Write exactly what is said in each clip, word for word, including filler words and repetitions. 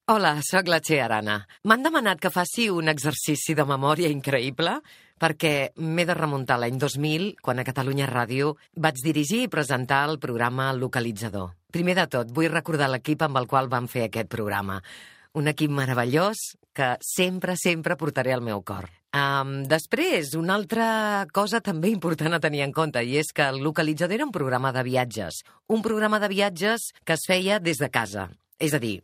Hola, sóc la Txell Arana. M'han demanat que faci un exercici de memòria increïble perquè m'he de remuntar l'any dos mil, quan a Catalunya Ràdio vaig dirigir i presentar el programa Localitzador. Primer de tot, vull recordar l'equip amb el qual vam fer aquest programa. Un equip meravellós que sempre, sempre portaré al meu cor. Um, després, una altra cosa també important a tenir en compte, i és que el Localitzador era un programa de viatges. Un programa de viatges que es feia des de casa. És a dir,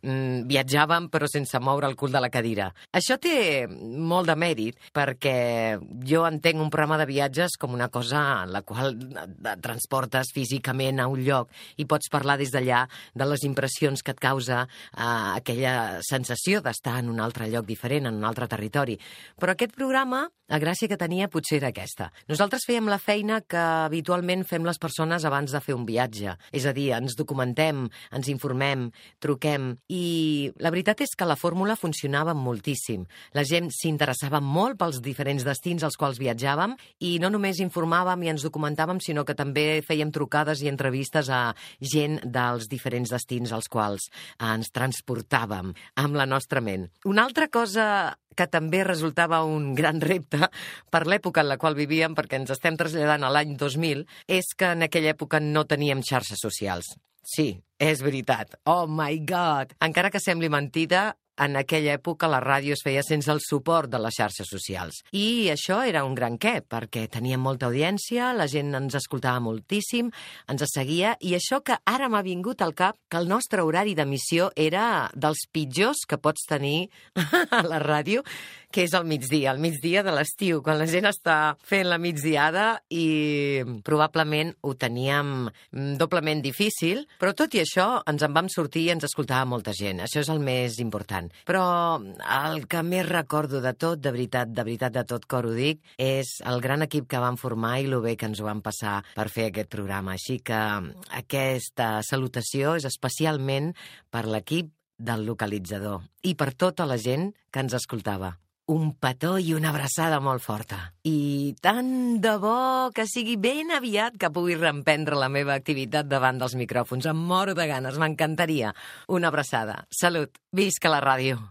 viatjàvem però sense moure el cul de la cadira. Això té molt de mèrit perquè jo entenc un programa de viatges com una cosa en la qual et transportes físicament a un lloc i pots parlar des d'allà de les impressions que et causa eh, aquella sensació d'estar en un altre lloc diferent, en un altre territori. Però aquest programa, la gràcia que tenia potser era aquesta. Nosaltres fèiem la feina que habitualment fem les persones abans de fer un viatge. És a dir, ens documentem, ens informem, truquem. I la veritat és que la fórmula funcionava moltíssim. La gent s'interessava molt pels diferents destins als quals viatjàvem i no només informàvem i ens documentàvem, sinó que també fèiem trucades i entrevistes a gent dels diferents destins als quals ens transportàvem amb la nostra ment. Una altra cosa que també resultava un gran repte per l'època en la qual vivíem, perquè ens estem traslladant a l'any dos mil, és que en aquella època no teníem xarxes socials. Sí, és veritat. Oh my God! Encara que sembli mentida, en aquella època la ràdio es feia sense el suport de les xarxes socials. I això era un gran què, perquè teníem molta audiència, la gent ens escoltava moltíssim, ens seguia, i això que ara m'ha vingut al cap que el nostre horari d'emissió era dels pitjors que pots tenir a la ràdio, que és al migdia, al migdia de l'estiu, quan la gent està fent la migdiada i probablement ho teníem doblement difícil, però tot i això ens en vam sortir i ens escoltava molta gent. Això és el més important. Però el que més recordo de tot, de veritat, de veritat, de tot cor ho dic, és el gran equip que vam formar i lo bé que ens ho vam passar per fer aquest programa. Així que aquesta salutació és especialment per l'equip del Localitzador i per tota la gent que ens escoltava. Un petó i una abraçada molt forta. I tant de bo que sigui ben aviat que pugui reemprendre la meva activitat davant dels micròfons. Em moro de ganes, m'encantaria. Una abraçada. Salut. Visca la ràdio.